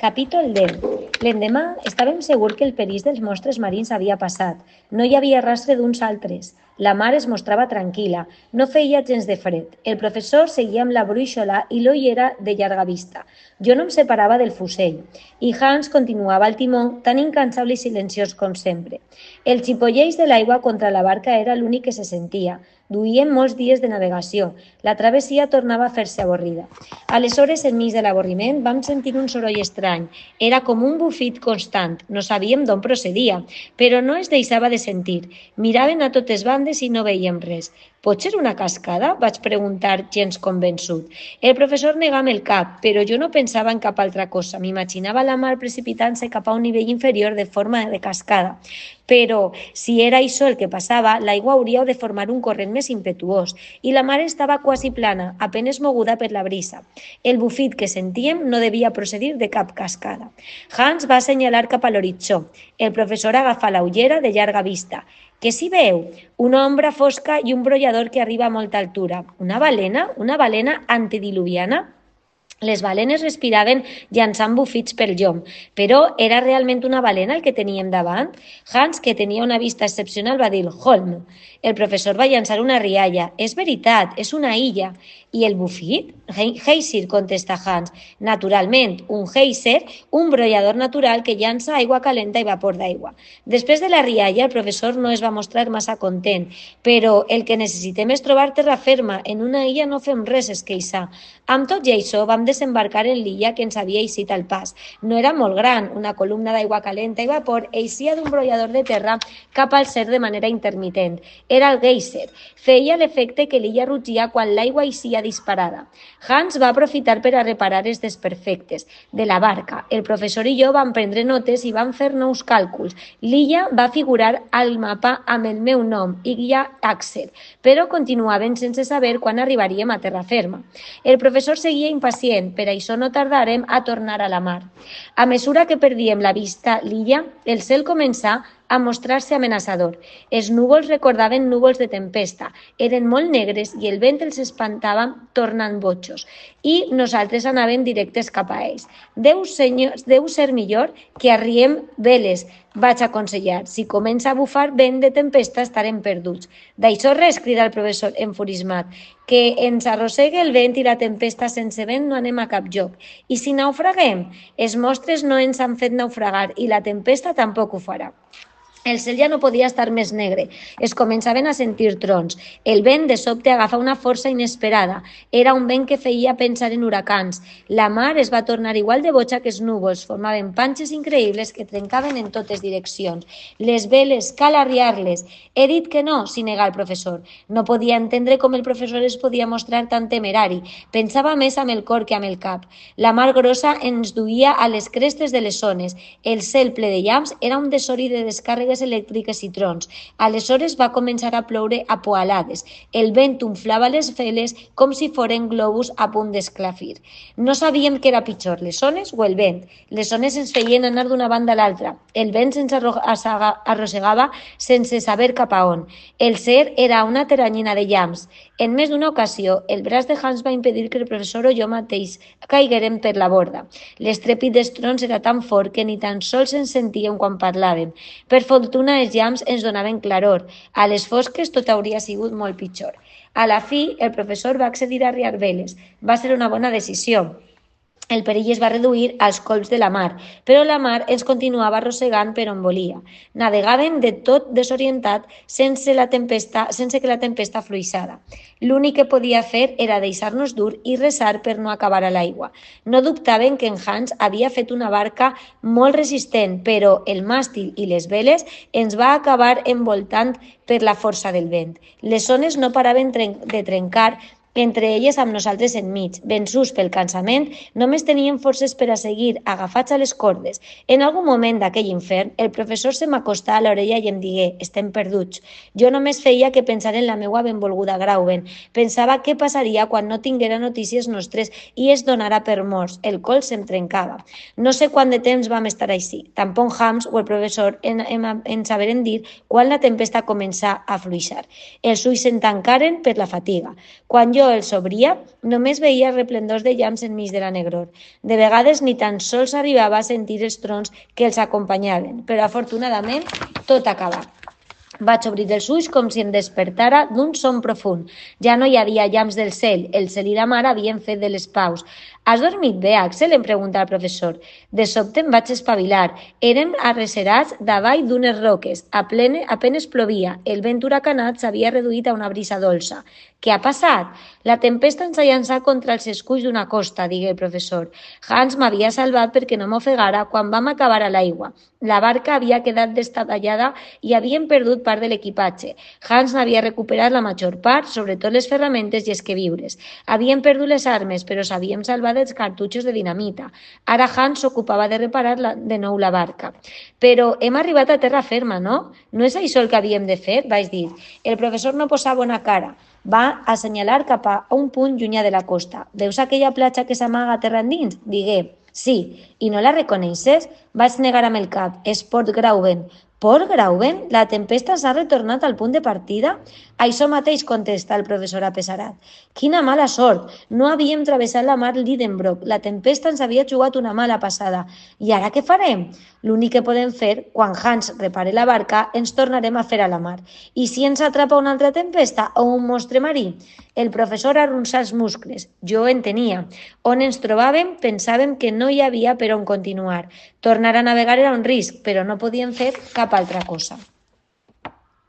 Capítol 10. L'endemà estàvem segurs que el perill dels monstres marins havia passat. No hi havia rastre d'uns altres. La mar es mostrava tranquil·la. No feia gens de fred. El professor seguia amb la brúixola i l'ull era de llarga vista. Jo no em separava del fusell. I Hans continuava al timó, tan incansable i silenciós com sempre. El xipolleix de l'aigua contra la barca era l'únic que se sentia. Duíem molts dies de navegació. La travessia tornava a fer-se avorrida. Aleshores, enmig de l'avorriment, vam sentir un soroll estrany. Era com un bufit constant. No sabíem d'on procedia, però no es deixava de sentir. Miraven a totes bandes i no veiem res. «Pot ser una cascada?», vaig preguntar, gens convençut. El professor negava el cap, però jo no pensava en cap altra cosa. M'imaginava la mar precipitant-se cap a un nivell inferior de forma de cascada. Però, si era això el que passava, l'aigua hauria de formar un corrent més impetuós, i la mar estava quasi plana, apenes moguda per la brisa. El bufit que sentíem no devia procedir de cap cascada. Hans va assenyalar cap a l'horitzó. El professor agafà la ullera de llarga vista. Què s'hi veu? Una ombra fosca i un brollador que arriba a molta altura. Una balena? Una balena antediluviana? Les balenes respiraven llançant bufits pel llom, però era realment una balena el que teníem davant? Hans, que tenia una vista excepcional, va dir «Holm». El professor va llançar una rialla. «És veritat, és una illa». «I el bufit?» «Geyser», contesta Hans. «Naturalment, un geyser, un brollador natural que llança aigua calenta i vapor d'aigua». Després de la rialla, el professor no es va mostrar massa content. «Però el que necessitem és trobar terra ferma. En una illa no fem res», es queixa. Amb tot i això, vam desembarcar en l'illa que ens havia eixit al pas. No era molt gran, una columna d'aigua calenta i vapor eixia d'un brollador de terra cap al cel de manera intermitent. Era el geyser. Feia l'efecte que l'illa rugia quan l'aigua eixia disparada. Hans va aprofitar per a reparar els desperfectes de la barca. El professor i jo vam prendre notes i vam fer nous càlculs. L'illa va figurar al mapa amb el meu nom, Illa Axel, però continuaven sense saber quan arribaríem a terra ferma. El professor seguia impacient, per això no tardàrem a tornar a la mar. A mesura que perdíem la vista l'illa, el cel començà a mostrar-se amenaçador. Els núvols recordaven núvols de tempesta, eren molt negres i el vent els espantava tornant bojos, i nosaltres anàvem directes cap a ells. Deu ser millor que arriem veles, vaig aconsellar. Si comença a bufar vent de tempesta estarem perduts. D'això res, crida el professor enfurismat, que ens arrossegue el vent i la tempesta sense vent no anem a cap lloc. I si naufraguem? Els monstres no ens han fet naufragar i la tempesta tampoc ho farà. El cel ja no podia estar més negre. Es començaven a sentir trons. El vent de sobte agafa una força inesperada. Era un vent que feia pensar en huracans. La mar es va tornar igual de boja que els núvols. Formaven panxes increïbles que trencaven en totes direccions. Les veles, cal arriar-les. He dit que no, s'hi nega el professor. No podia entendre com el professor es podia mostrar tan temerari. Pensava més amb el cor que amb el cap. La mar grossa ens duia a les crestes de les zones. El cel ple de llamps era un desori de descàrregues elèctriques i trons. Aleshores va començar a ploure a poalades. El vent umflava les veles com si foren globus a punt d'esclafir. No sabíem què era pitjor, les ones o el vent. Les ones ens feien anar d'una banda a l'altra. El vent ens arrossegava sense saber cap a on. El cel era una teranyina de llamps. En més d'una ocasió, el braç de Hans va impedir que el professor o jo mateix caiguérem per la borda. L'estrèpit dels trons era tan fort que ni tan sols ens sentíem quan parlàvem. Per fortuna, els llamps ens donaven claror. A les fosques tot hauria sigut molt pitjor. A la fi, el professor va accedir a arriar veles. Va ser una bona decisió. El perill es va reduir als colps de la mar, però la mar ens continuava arrossegant per on volia. Navegàvem de tot desorientat sense que la tempesta fluixara. L'únic que podia fer era deixar-nos dur i resar per no acabar a l'aigua. No dubtaven que en Hans havia fet una barca molt resistent, però el màstil i les veles ens va acabar envoltant per la força del vent. Les ones no paraven de trencar entre elles amb nosaltres enmig. Vençuts pel cansament, només tenien forces per a seguir, agafats a les cordes. En algun moment d'aquell infern, el professor se m'acostà a l'orella i em digué: «Estem perduts». Jo només feia que pensar en la meua benvolguda Grauben. Pensava què passaria quan no tinguera notícies nostres i es donara per morts. El col se'm trencava. No sé quant de temps vam estar així. Tampoc Hans o el professor ens saberen dir quan la tempesta començà a fluixar. Els ulls se'n tancaren per la fatiga. Quan jo Jo els obria, només veia resplendors de llamps enmig de la negror. De vegades ni tan sols arribava a sentir els trons que els acompanyaven, però afortunadament tot acabà. Vaig obrir els ulls com si em despertara d'un son profund. Ja no hi havia llamps del cel. El cel i la mar havien fet de les paus. Has dormit bé, Axel? Em pregunta el professor. De sobte em vaig espavilar. Érem arrecerats davall d'unes roques. Apenes plovia. El vent huracanat s'havia reduït a una brisa dolça. Què ha passat? La tempesta ens ha llançat contra els esculls d'una costa, digué el professor. Hans m'havia salvat perquè no m'ofegara quan vam acabar a l'aigua. La barca havia quedat destatallada i havíem perdut part de l'equipatge. Hans n'havia recuperat la major part, sobretot les ferramentes i els queviures. Havíem perdut les armes, però s'havíem salvat dels cartutxos de dinamita. Ara Hans s'ocupava de reparar de nou la barca. Però hem arribat a terra ferma, no? No és això el que havíem de fer? Vaig dir. El professor no posava bona cara. Va assenyalar cap a un punt llunyà de la costa. Veus aquella platja que s'amaga terra endins? Digué. Sí, i no la reconeixes? Vaig negar amb el cap. És Port Grauen. Port Grauen? La tempesta s'ha retornat al punt de partida? Això mateix contesta el professor apesarat. Quina mala sort! No havíem travessat la mar Lidenbrock. La tempesta ens havia jugat una mala passada. I ara què farem? L'únic que podem fer, quan Hans repare la barca, ens tornarem a fer a la mar. I si ens atrapa una altra tempesta o un monstre marí? El professor arronsà els muscles. Jo en tenia. On ens trobàvem, pensàvem que no hi havia per on continuar. Tornar a navegar era un risc, però no podíem fer cap altra cosa.